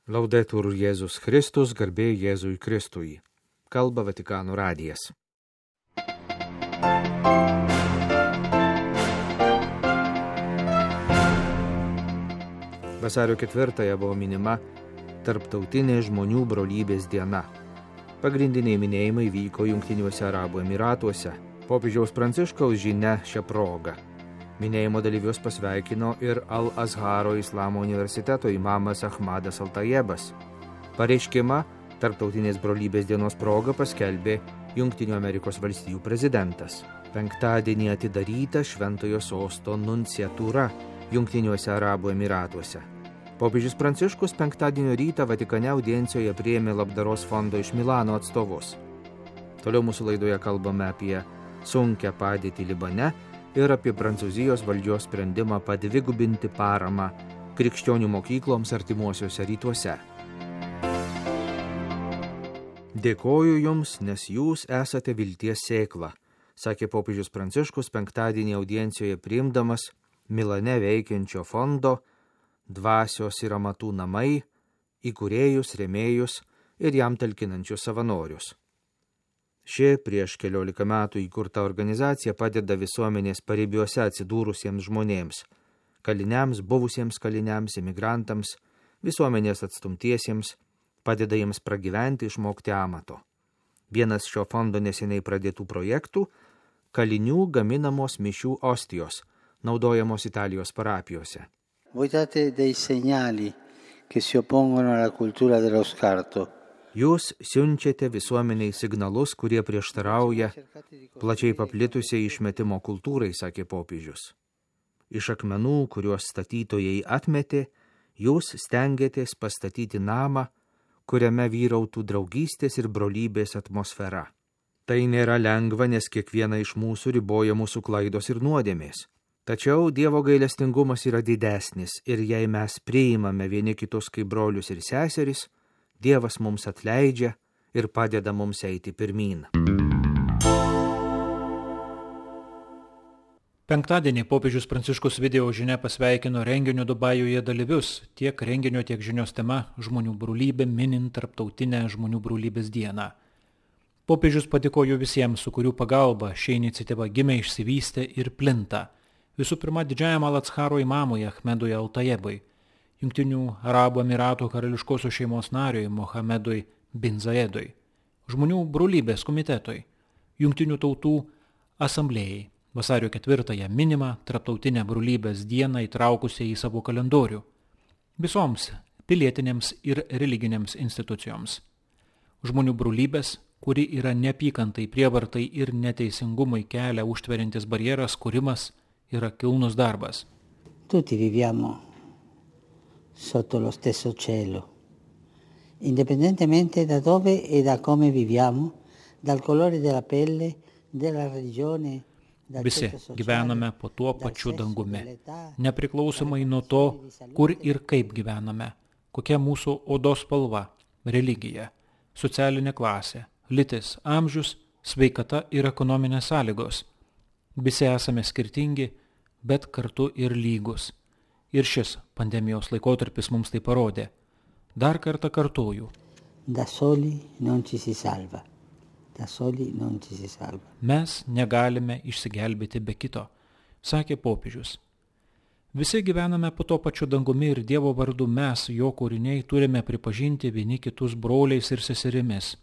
Laudetur Jėzus Kristus, garbė Jėzui Kristui. Kalba Vatikano radijas. Vasario 4 buvo minima Tarptautinė žmonių brolybės diena. Pagrindiniai minėjimai vyko Jungtiniuose Arabų Emyratuose. Popiežiaus Pranciškaus žinia šią progą. Minėjimo dalyvius pasveikino ir Al-Azharo Islamo universiteto imamas Ahmadas Al-Tayebas. Pareiškimą Tarptautinės brolybės dienos proga paskelbė Jungtinių Amerikos valstijų prezidentas. Penktadienį atidaryta Šventojo Sosto nunciatūra Jungtiniuose Arabų Emyratuose. Popiežius Pranciškus penktadienio rytą Vatikane audiencijoje priėmė labdaros fondo iš Milano atstovus. Toliau mūsų laidoje kalbame apie sunkią padėtį Libane ir apie Prancūzijos valdžios sprendimą padvigubinti paramą krikščionių mokykloms artimuosiuose rytuose. Dėkoju jums, nes jūs esate vilties sėkla, sakė popiežius Pranciškus penktadienį audiencijoje priimdamas Milane veikiančio fondo Dvasios ir amatų namai, įkūrėjus, rėmėjus ir jam talkinančius savanorius. Ši prieš 14 metų įkurta organizacija padeda visuomenės paribiuose atsidūrusiems žmonėms, kaliniams, buvusiems kaliniams, imigrantams, visuomenės atstumtiesiems, padeda jiems pragyventi, išmokti amato. Vienas šio fondo neseniai pradėtų projektų – kalinių gaminamos mišių ostijos, naudojamos Italijos parapijose. Voi date dei segnali che si oppongono alla cultura dello scarto. Jūs siunčiate visuomeniai signalus, kurie prieštarauja plačiai paplitusiai išmetimo kultūrai, sakė popiežius. Iš akmenų, kuriuos statytojai atmetė, jūs stengiatės pastatyti namą, kuriame vyrautų draugystės ir brolybės atmosfera. Tai nėra lengva, nes kiekviena iš mūsų riboja mūsų klaidos ir nuodėmės. Tačiau Dievo gailestingumas yra didesnis ir jei mes priimame vieni kitus kaip brolius ir seseris, Dievas mums atleidžia ir padeda mums eiti pirmyn. Penktadienį popiežius Pranciškus video žinia pasveikino renginio Dubajuje dalyvius, tiek renginio, tiek žinios tema žmonių brolybė minint Tarptautinę žmonių brolybės dieną. Popiežius padėkojo visiems, su kurių pagalba ši iniciatyva gimė, išsivystė ir plinta. Visų pirma, didžiajam Al-Azharo imamui Ahmedui Al-Tayebai, Jungtinių Arabų Emyratų karališkosios šeimos nariui Mohamedui bin Zayedui, žmonių brolybės komitetui, Jungtinių tautų asamblėjai, vasario 4 minimą Tarptautinę brolybės dieną įtraukusiai į savo kalendorių, visoms pilietinėms ir religinėms institucijoms. Žmonių brolybės, kuri yra neapykantai, prievartai ir neteisingumui kelią užtveriantis barjeras, kūrimas, yra kilnus darbas. Tutti viviamo sotto lo stesso cielo, indipendentemente da dove e da come viviamo, dal colore della pelle, della religione. Visi gyvename po tuo pačiu dangumi, nepriklausomai nuo to, kur ir kaip gyvename, kokia mūsų odos spalva, religija, socialinė klasė, lytis, amžius, sveikata ir ekonominės sąlygos. Visi esame skirtingi, bet kartu ir lygus. Ir šis pandemijos laikotarpis mums tai parodė. Dar kartą kartoju. Da soli non ci si salva. Da soli non ci si salva. Mes negalime išsigelbėti be kito, sakė popiežius. Visi gyvename po to pačiu dangumi ir Dievo vardu mes, jo kūriniai, turime pripažinti vieni kitus broliais ir seserimis.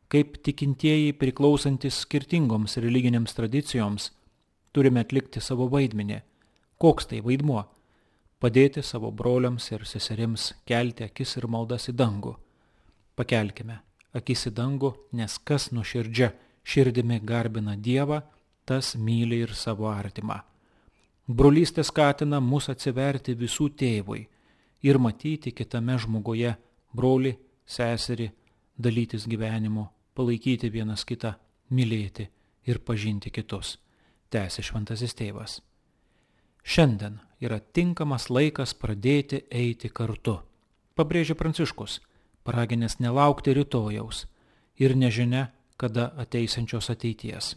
Kaip tikintieji priklausantis skirtingoms religinėms tradicijoms, turime atlikti savo vaidmenį. Koks tai vaidmuo? Padėti savo broliams ir seserims kelti akis ir maldas į dangų. Pakelkime akis į dangų, nes kas nuoširdžia širdimi garbina Dievą, tas myli ir savo artimą. Brolystė skatina mus atsiverti visų tėvui ir matyti kitame žmoguje brolį, seserį, dalytis gyvenimu, palaikyti vienas kitą, mylėti ir pažinti kitus, tęsė šventasis tėvas. Šiandien yra tinkamas laikas pradėti eiti kartu, pabrėžė Pranciškus, paraginęs nelaukti rytojaus ir nežinia, kada ateisiančios ateities.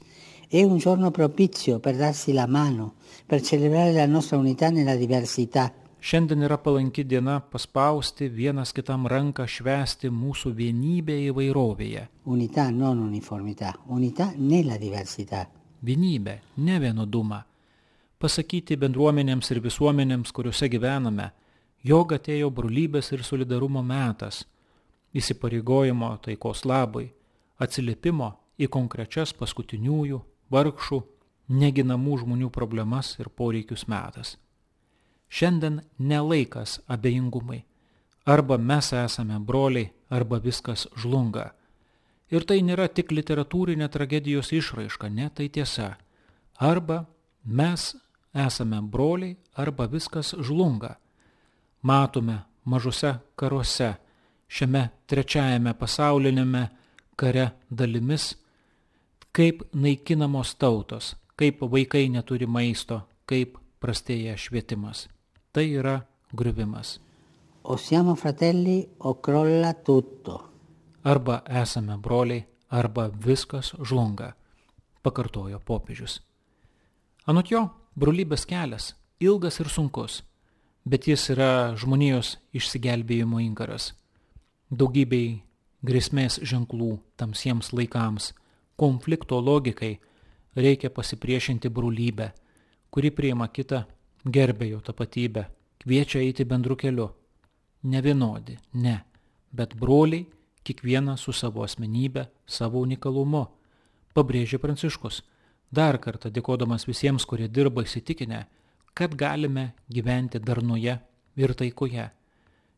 È un giorno propizio per darsi la mano, per celebrare la nostra unità nella diversità, Šiandien yra palanki diena paspausti vienas kitam ranką, švęsti mūsų vienybę įvairovėje. Unità, non uniformità, unità nella diversità. Vienybę, ne vienodumą. Pasakyti bendruomenėms ir visuomenėms, kuriuose gyvename, jog atėjo brolybės ir solidarumo metas, įsipareigojimo taikos labui, atsiliepimo į konkrečias paskutiniųjų, vargšų, neginamų žmonių problemas ir poreikius metas. Šiandien nelaikas abejingumai. Arba mes esame broliai, arba viskas žlunga. Ir tai nėra tik literatūrinė tragedijos išraiška, ne, tai tiesa. Arba mes esame broliai, arba viskas žlunga. Matome mažose karuose, šiame trečiajame pasaulinėme kare dalimis, kaip naikinamos tautos, kaip vaikai neturi maisto, kaip prastėja švietimas. Tai yra griuvimas. O siamo fratelli o crolla tutto. Arba esame broliai, arba viskas žlunga, pakartojo popiežius. Anot jo, brolybės kelias ilgas ir sunkus, bet jis yra žmonijos išsigelbėjimo inkaras. Daugybei grėsmės ženklų tamsiems laikams, konflikto logikai reikia pasipriešinti brolybę, kuri priima kitą, gerbė jo tapatybę, kviečia eiti bendru keliu. Ne vienodi, ne, bet broliai, kiekvienas su savo asmenybė, savo unikalumu, pabrėžė Pranciškus, dar kartą dėkodamas visiems, kurie dirba įsitikinę, kad galime gyventi darnoje ir taikoje,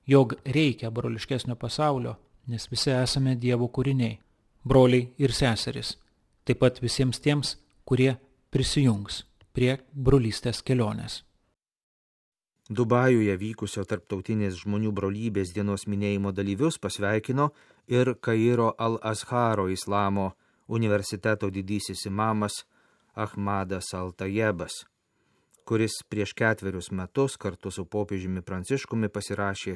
jog reikia broliškesnio pasaulio, nes visi esame Dievo kūriniai, broliai ir seserys, taip pat visiems tiems, kurie prisijungs prie brolystės kelionės. Dubajuje vykusio tarptautinės žmonių brolybės dienos minėjimo dalyvius pasveikino ir Kairo Al-Azharo Islamo universiteto didysis imamas Ahmadas Al-Tajebas, kuris prieš 4 metus kartu su popiežiumi Pranciškumi pasirašė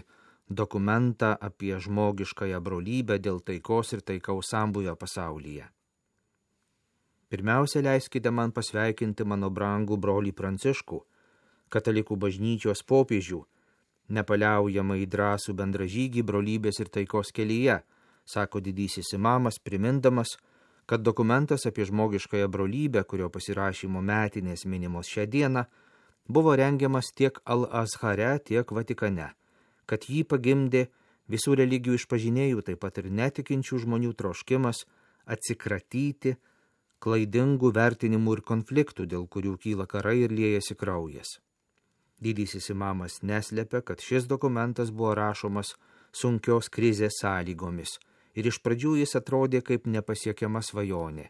dokumentą apie žmogiškąją brolybę dėl taikos ir taikaus sambūvio pasaulyje. Pirmiausia, leiskite man pasveikinti mano brangų brolį Pranciškų, katalikų bažnyčios popiežių, nepaliaujamai drąsų bendražygį brolybės ir taikos kelyje, sako didysis imamas, primindamas, kad dokumentas apie žmogiškąją brolybę, kurio pasirašymo metinės minimos šią dieną, buvo rengiamas tiek Al-Azhare, tiek Vatikane, kad jį pagimdė visų religijų išpažinėjų, taip pat ir netikinčių žmonių troškimas atsikratyti klaidingų vertinimų ir konfliktų, dėl kurių kyla karai ir liejasi kraujas. Didysis imamas neslepia, kad šis dokumentas buvo rašomas sunkios krizės sąlygomis ir iš pradžių jis atrodė kaip nepasiekiama svajonė.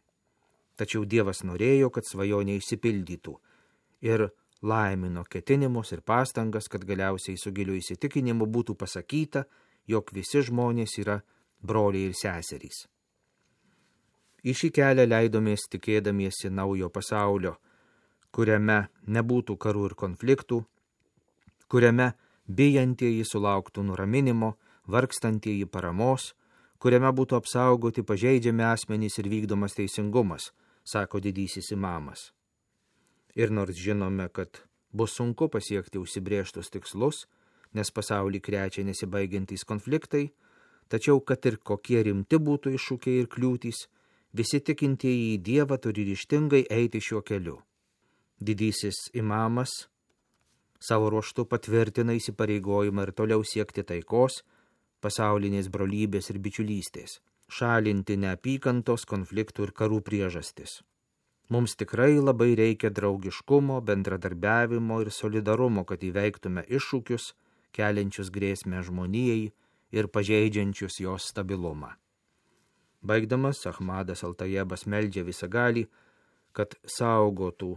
Tačiau Dievas norėjo, kad svajonė išsipildytų ir laimino ketinimus ir pastangas, kad galiausiai su giliu įsitikinimu būtų pasakyta, jog visi žmonės yra broliai ir seserys. Į šį kelią leidomės tikėdamiesi naujo pasaulio, kuriame nebūtų karų ir konfliktų, kuriame bijantieji sulauktų nuraminimo, vargstantieji paramos, kuriame būtų apsaugoti pažeidžiami asmenys ir vykdomas teisingumas, sako didysis imamas. Ir nors žinome, kad bus sunku pasiekti užsibrėžtus tikslus, nes pasaulį krečia nesibaigiantys konfliktai, tačiau kad ir kokie rimti būtų iššūkiai ir kliūtys, visi tikintieji į Dievą turi ryžtingai eiti šiuo keliu. Didysis imamas savo ruožtu patvirtina įsipareigojimą ir toliau siekti taikos, pasaulinės brolybės ir bičiulystės, šalinti neapykantos, konfliktų ir karų priežastis. Mums tikrai labai reikia draugiškumo, bendradarbiavimo ir solidarumo, kad įveiktume iššūkius, keliančius grėsmę žmonijai ir pažeidžiančius jos stabilumą. Baigdamas, Ahmadas Al-Tajebas meldžia visagalį, kad saugotų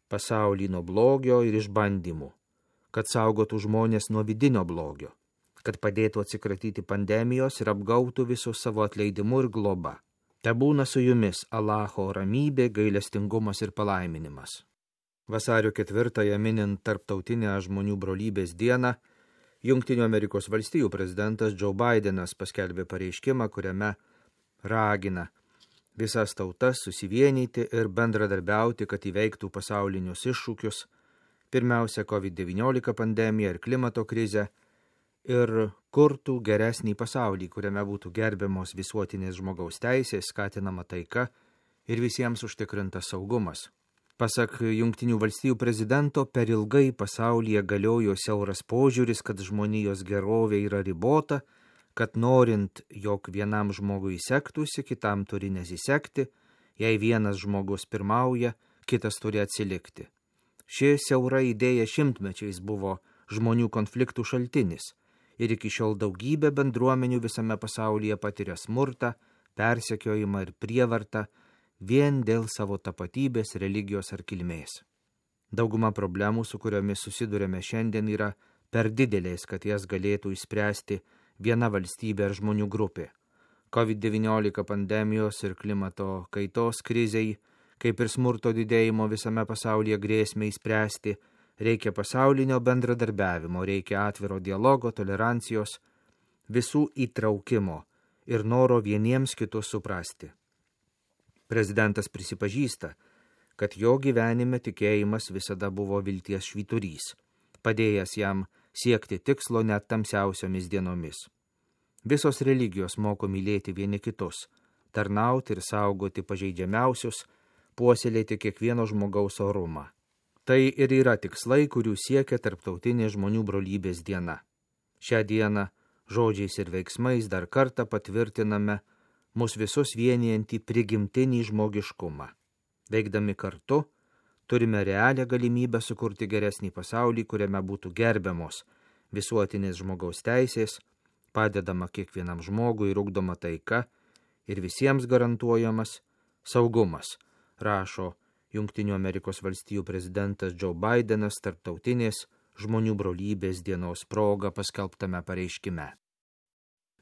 pasaulį nuo blogio ir išbandymų, kad saugotų žmonės nuo vidinio blogio, kad padėtų atsikratyti pandemijos ir apgautų visus savo atleidimu ir globa. Te būna su jumis Allaho ramybė, gailestingumas ir palaiminimas. Vasario 4-ąją minint tarptautinę žmonių brolybės dieną, Jungtinių Amerikos valstijų prezidentas Joe Bidenas paskelbė pareiškimą, kuriame ragina visas tautas susivienyti ir bendradarbiauti, kad įveiktų pasaulinius iššūkius, pirmiausia COVID-19 pandemiją ir klimato krizę, ir kurtų geresnį pasaulį, kuriame būtų gerbiamos visuotinės žmogaus teisės, skatinama taika ir visiems užtikrintas saugumas. Pasak Jungtinių valstijų prezidento, per ilgai pasaulyje galiojo siauras požiūris, kad žmonijos gerovė yra ribota, kad norint, jog vienam žmogui sektųsi, kitam turi nesisekti, jei vienas žmogus pirmauja, kitas turi atsilikti. Ši siaura idėja šimtmečiais buvo žmonių konfliktų šaltinis ir iki šiol daugybė bendruomenių visame pasaulyje patiria smurtą, persekiojimą ir prievartą vien dėl savo tapatybės, religijos ar kilmės. Dauguma problemų, su kuriomis susidurėme šiandien, yra per didelės, kad jas galėtų išspręsti viena valstybė ar žmonių grupė. COVID-19 pandemijos ir klimato kaitos krizei, kaip ir smurto didėjimo visame pasaulyje grėsmei spręsti, reikia pasaulinio bendradarbiavimo, reikia atviro dialogo, tolerancijos, visų įtraukimo ir noro vieniems kitus suprasti. Prezidentas prisipažįsta, kad jo gyvenime tikėjimas visada buvo vilties švyturys, padėjęs jam siekti tikslo net tamsiausiomis dienomis. Visos religijos moko mylėti vieni kitus, tarnauti ir saugoti pažeidžiamiausius, puoselėti kiekvieno žmogaus orumą. Tai ir yra tikslai, kurių siekia Tarptautinė žmonių brolybės diena. Šią dieną žodžiais ir veiksmais dar kartą patvirtiname mus visus vienijantį prigimtinį žmogiškumą. Veikdami kartu, turime realią galimybę sukurti geresnį pasaulį, kuriame būtų gerbiamos visuotinės žmogaus teisės, padedama kiekvienam žmogui ir ugdoma taika ir visiems garantuojamas saugumas, rašo Jungtinių Amerikos valstijų prezidentas Joe Bidenas Tarptautinės žmonių brolybės dienos proga paskelbtame pareiškime.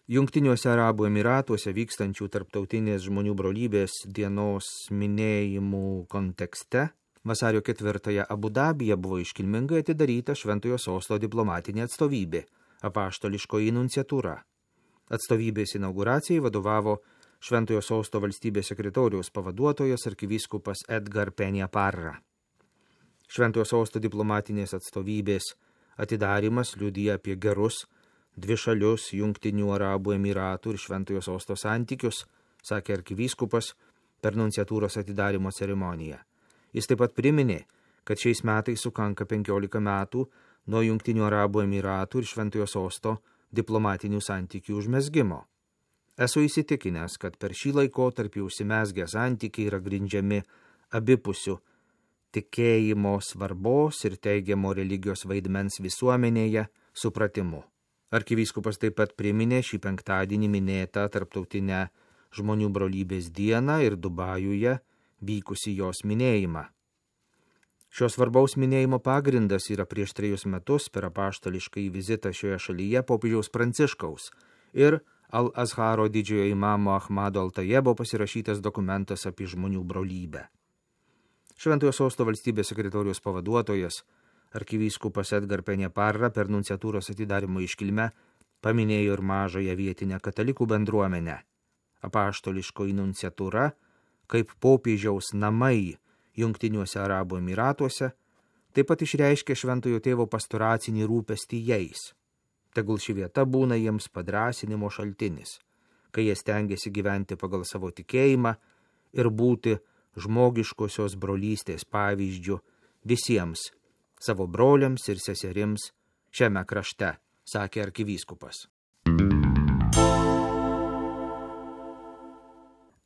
Jungtiniuose Arabų Emyratuose vykstančių Tarptautinės žmonių brolybės dienos minėjimų kontekste vasario 4 Abu Dabyje buvo iškilmingai atidaryta Šventojo Sosto diplomatinė atstovybė, apaštališkoji nunciatūra. Atstovybės inauguracijai vadovavo Šventojo Sosto valstybės sekretoriaus pavaduotojas arkivyskupas Edgar Peña Parra. Šventojo Sosto diplomatinės atstovybės atidarimas liudija apie gerus dvišalius Jungtinių Arabų Emyratų ir Šventojo Sosto santykius, sakė arkivyskupas per nunciatūros atidarimo ceremoniją. Jis taip pat priminė, kad šiais metais sukanka 15 metų nuo Jungtinių Arabų Emyratų ir Šventojo Sosto diplomatinių santykių užmezgimo. Esu įsitikinęs, kad per šį laikotarpį užsimezgę santykiai yra grindžiami abipusių tikėjimo svarbos ir teigiamo religijos vaidmens visuomenėje supratimu. Arkivyskupas taip pat priminė šį penktadienį minėtą Tarptautinę žmonių brolybės dieną ir Dubajuje vykusi jos minėjimą. Šios svarbaus minėjimo pagrindas yra prieš 3 metus per apaštališkąjį vizitą šioje šalyje popiežiaus Pranciškaus ir Al-Azharo didžiojo imamo Ahmado Al-Tajebo pasirašytas dokumentas apie žmonių brolybę. Šventojo Sosto valstybės sekretoriaus pavaduotojas arkivyskupas Edgar Peña Parra per nunciatūros atidarimo iškilmę paminėjo ir mažąją vietinę katalikų bendruomenę. Apaštališkoji nunciatūra, kaip popiežiaus namai Jungtiniuose Arabų Emyratuose, taip pat išreiškė Šventojo tėvo pastoracinį rūpestį jais. Tegul ši vieta būna jiems padrąsinimo šaltinis, kai jie stengiasi gyventi pagal savo tikėjimą ir būti žmogiškosios brolystės pavyzdžiu visiems savo broliams ir seserims šiame krašte, sakė arkivyskupas.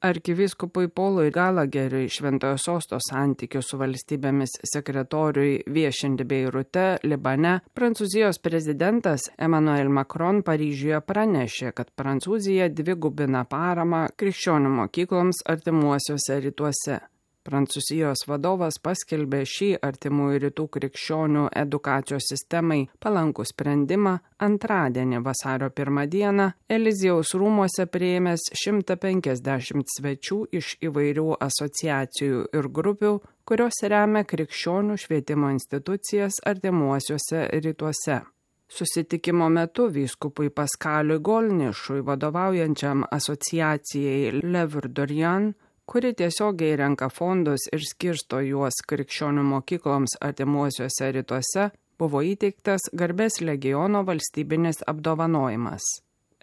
Arkivyskupui Paului Galageriui Šventojo Sosto santykių su valstybėmis sekretoriui viešinti Beirute, Libane, Prancūzijos prezidentas Emmanuel Macron Paryžiuje pranešė, kad Prancūzija dvigubina paramą krikščionių mokykloms artimuosiuose rytuose. Prancūzijos vadovas paskelbė šį artimųjų rytų krikščionių edukacijos sistemai palankų sprendimą antradienį vasario 1 dieną Eliziejaus rūmuose priėmęs 150 svečių iš įvairių asociacijų ir grupių, kurios remia krikščionių švietimo institucijas artimuosiuose rytuose. Susitikimo metu vyskupui Paskaliui Golnišui vadovaujančiam asociacijai L'Œuvre d'Orient kuri tiesiogiai renka fondus ir skirsto juos krikščionių mokykloms artimuosiuose rytuose, buvo įteiktas Garbės legiono valstybinis apdovanojimas.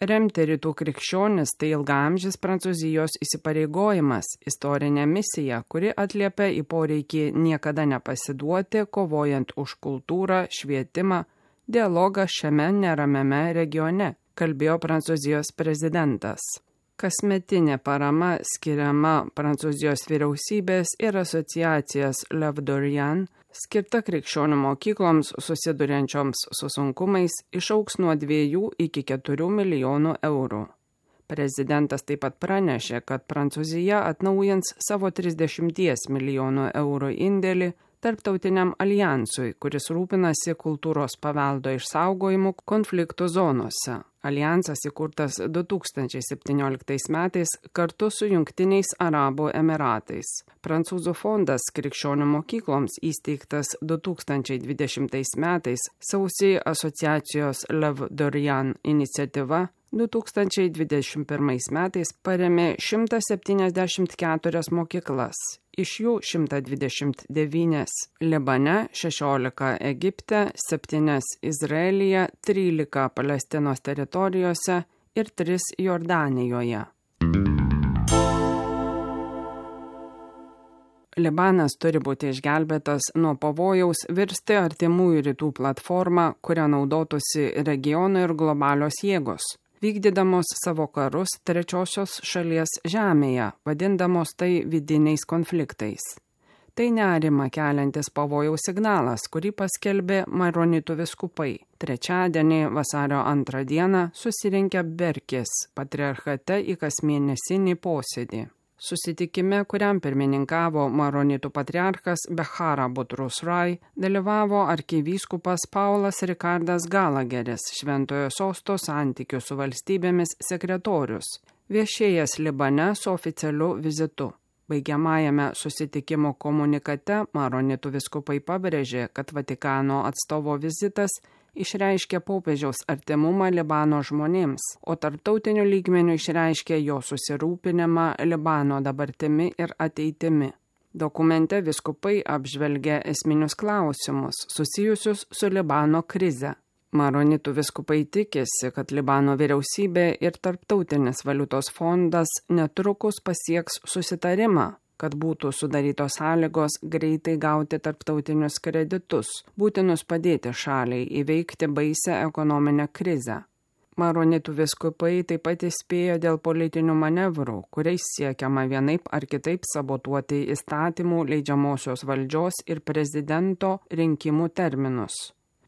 Remti rytų krikščionis tai ilgaamžis Prancūzijos įsipareigojimas, istorinė misija, kuri atliepia į poreikį niekada nepasiduoti, kovojant už kultūrą, švietimą, dialogą šiame neramiame regione, kalbėjo Prancūzijos prezidentas. Kasmetinė parama skiriama Prancūzijos vyriausybės ir asociacijas L'Œuvre d'Orient, skirta krikščionių mokykloms susiduriančioms su sunkumais, išaugs nuo 2 iki 4 milijonų eurų. Prezidentas taip pat pranešė, kad Prancūzija atnaujins savo 30 milijonų eurų indėlį tarptautiniam alijansui, kuris rūpinasi kultūros paveldo išsaugojimu konfliktų zonose. Alijansas įkurtas 2017 metais kartu su Jungtiniais Arabų Emiratais. Prancūzų fondas krikščionių mokykloms įsteigtas 2020 metais sausį asociacijos L'Œuvre d'Orient iniciatyva 2021 metais paremė 174 mokyklas, iš jų 129 Libane, 16 Egipte, 7 Izraelyje, 13 Palestinos teritorijose ir 3 Jordanijoje. Libanas turi būti išgelbėtas nuo pavojaus virsti artimųjų rytų platformą, kurią naudotųsi regiono ir globalios jėgos, vykdydamos savo karus trečiosios šalies žemėje, vadindamos tai vidiniais konfliktais. Tai nerimą keliantis pavojaus signalas, kurį paskelbė maronitų vyskupai. Trečiadienį vasario 2 dieną susirinkę Berkės patriarchate į kasmėnesinį posėdį. Susitikime, kuriam pirmininkavo maronitų patriarchas Behara Butrus Rai, dalyvavo arkivyskupas Paulas Rikardas Galageris, Šventojo Sosto santykių su valstybėmis sekretorius, viešėjęs Libane su oficialiu vizitu. Baigiamajame susitikimo komunikate maronitų vyskupai pabrėžė, kad Vatikano atstovo vizitas išreiškė popiežiaus artimumą Libano žmonėms, o tarptautiniu lygmeniu išreiškė jo susirūpinimą Libano dabartimi ir ateitimi. Dokumente vyskupai apžvelgia esminius klausimus susijusius su Libano krize. Maronitų vyskupai tikisi, kad Libano vyriausybė ir Tarptautinis valiutos fondas netrukus pasieks susitarimą, kad būtų sudarytos sąlygos greitai gauti tarptautinius kreditus, būtinus padėti šaliai įveikti baisią ekonominę krizę. Maronitų vyskupai taip pat įspėjo dėl politinių manevrų, kuriais siekiama vienaip ar kitaip sabotuoti įstatymų leidžiamosios valdžios ir prezidento rinkimų terminus.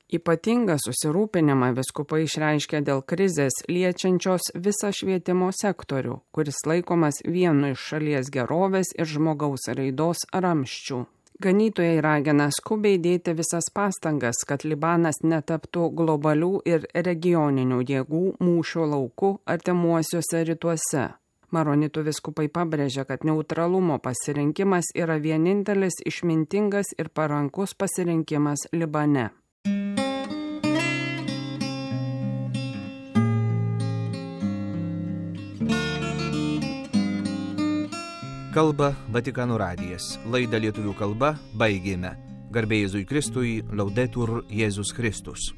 Ypatingą susirūpinimą vyskupai išreiškė dėl krizės liečiančios visą švietimo sektorių, kuris laikomas vienu iš šalies gerovės ir žmogaus raidos ramščių. Ganytojai ragina skubiai dėti visas pastangas, kad Libanas netaptų globalių ir regioninių jėgų mūšio lauku artimuosiuose rytuose. Maronitų vyskupai pabrėžia, kad neutralumo pasirinkimas yra vienintelis išmintingas ir parankus pasirinkimas Libane. Kalba Vatikano radijas. Laidą lietuvių kalba baigėme. Garbė Jėzui Kristui, Laudetur Jėzus Kristus.